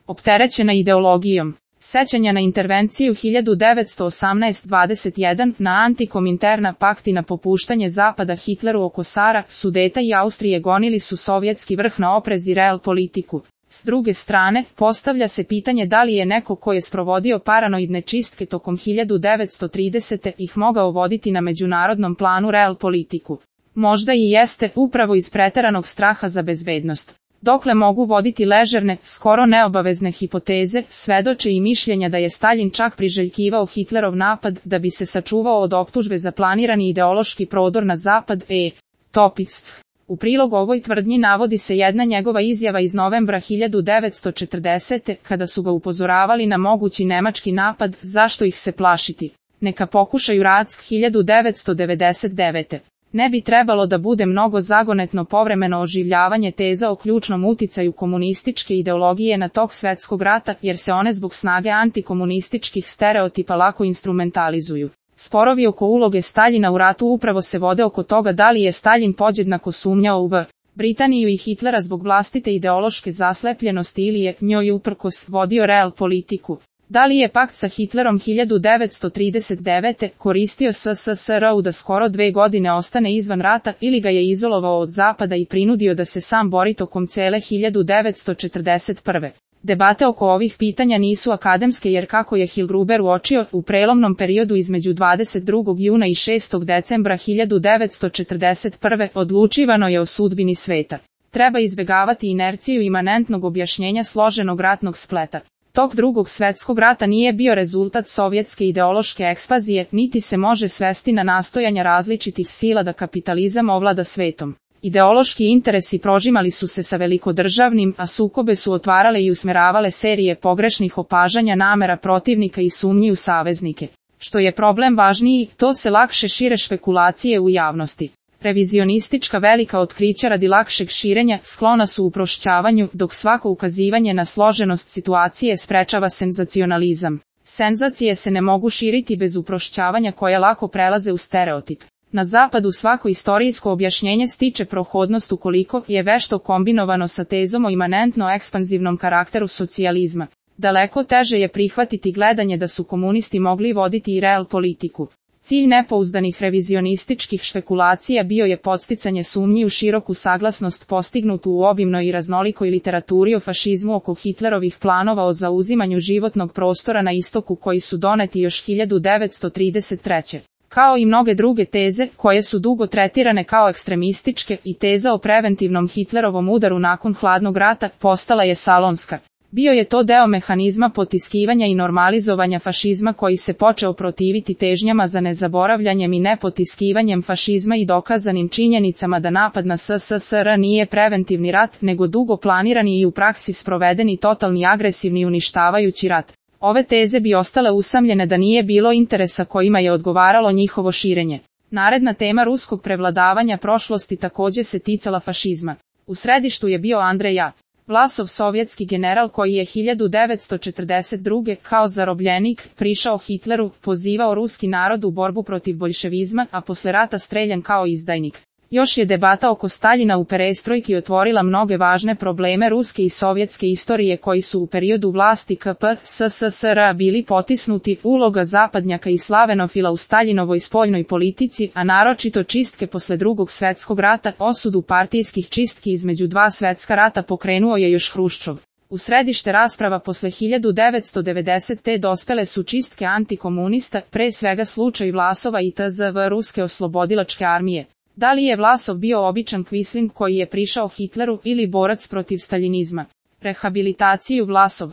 opterećena ideologijom. Sećanja na intervenciju 1918-21 na Antikomintern pakt i na popuštanje Zapada Hitleru oko Sara, Sudeta i Austrije gonili su sovjetski vrh na oprez i real politiku. S druge strane, postavlja se pitanje da li je neko ko je sprovodio paranoidne čistke tokom 1930. ih mogao voditi na međunarodnom planu real politiku. Možda i jeste, upravo iz preteranog straha za bezbednost. Dokle mogu voditi ležerne, skoro neobavezne hipoteze, svedoče i mišljenja da je Staljin čak priželjkivao Hitlerov napad da bi se sačuvao od optužbe za planirani ideološki prodor na zapad Topic. U prilog ovoj tvrdnji navodi se jedna njegova izjava iz novembra 1940. kada su ga upozoravali na mogući nemački napad, zašto ih se plašiti. Neka pokušaju Rack 1999. Ne bi trebalo da bude mnogo zagonetno povremeno oživljavanje teza o ključnom uticaju komunističke ideologije na tok svetskog rata, jer se one zbog snage antikomunističkih stereotipa lako instrumentalizuju. Sporovi oko uloge Staljina u ratu upravo se vode oko toga da li je Staljin podjednako sumnjao u Britaniju i Hitlera zbog vlastite ideološke zaslepljenosti ili je njoj uprkos vodio real politiku. Da li je pakt sa Hitlerom 1939. koristio SSSR-u da skoro 2 godine ostane izvan rata ili ga je izolovao od Zapada i prinudio da se sam bori tokom cele 1941. Debate oko ovih pitanja nisu akademske jer kako je Hillgruber uočio, u prelomnom periodu između 22. juna i 6. decembra 1941. odlučivano je o sudbini sveta. Treba izbegavati inerciju imanentnog objašnjenja složenog ratnog spleta. Tok Drugog svjetskog rata nije bio rezultat sovjetske ideološke ekspazije, niti se može svesti na nastojanja različitih sila da kapitalizam ovlada svetom. Ideološki interesi prožimali su se sa velikodržavnim, a sukobe su otvarale i usmeravale serije pogrešnih opažanja namera protivnika i sumnji u saveznike. Što je problem važniji, to se lakše šire špekulacije u javnosti. Revizionistička velika otkrića radi lakšeg širenja sklona su uprošćavanju, dok svako ukazivanje na složenost situacije sprečava senzacionalizam. Senzacije se ne mogu širiti bez uprošćavanja koje lako prelaze u stereotip. Na zapadu svako istorijsko objašnjenje stiče prohodnost ukoliko je vešto kombinovano sa tezom o imanentno ekspanzivnom karakteru socijalizma. Daleko teže je prihvatiti gledanje da su komunisti mogli voditi i real politiku. Cilj nepouzdanih revizionističkih špekulacija bio je podsticanje sumnji u široku saglasnost postignutu u obimnoj i raznolikoj literaturi o fašizmu oko Hitlerovih planova o zauzimanju životnog prostora na istoku koji su doneti još 1933. Kao i mnoge druge teze, koje su dugo tretirane kao ekstremističke, i teza o preventivnom Hitlerovom udaru nakon hladnog rata, postala je salonska. Bio je to deo mehanizma potiskivanja i normalizovanja fašizma koji se počeo protiviti težnjama za nezaboravljanjem i nepotiskivanjem fašizma i dokazanim činjenicama da napad na SSSR nije preventivni rat, nego dugo planirani i u praksi sprovedeni totalni agresivni uništavajući rat. Ove teze bi ostale usamljene da nije bilo interesa kojima je odgovaralo njihovo širenje. Naredna tema ruskog prevladavanja prošlosti također se ticala fašizma. U središtu je bio Andrej Vlasov, sovjetski general koji je 1942. kao zarobljenik prišao Hitleru, pozivao ruski narod u borbu protiv boljševizma, a posle rata streljan kao izdajnik. Još je debata oko Staljina u perestrojki otvorila mnoge važne probleme ruske i sovjetske istorije koji su u periodu vlasti KP/SSSR bili potisnuti, uloga zapadnjaka i slavenofila u Staljinovoj spoljnoj politici, a naročito čistke posle Drugog svjetskog rata, osudu partijskih čistki između dva svjetska rata pokrenuo je još Hruščov. U središte rasprava posle 1990. dospele su čistke antikomunista, pre svega slučaj Vlasova i TZV Ruske oslobodilačke armije. Da li je Vlasov bio običan kvislin koji je prišao Hitleru ili borac protiv staljinizma? Rehabilitaciju Vlasov.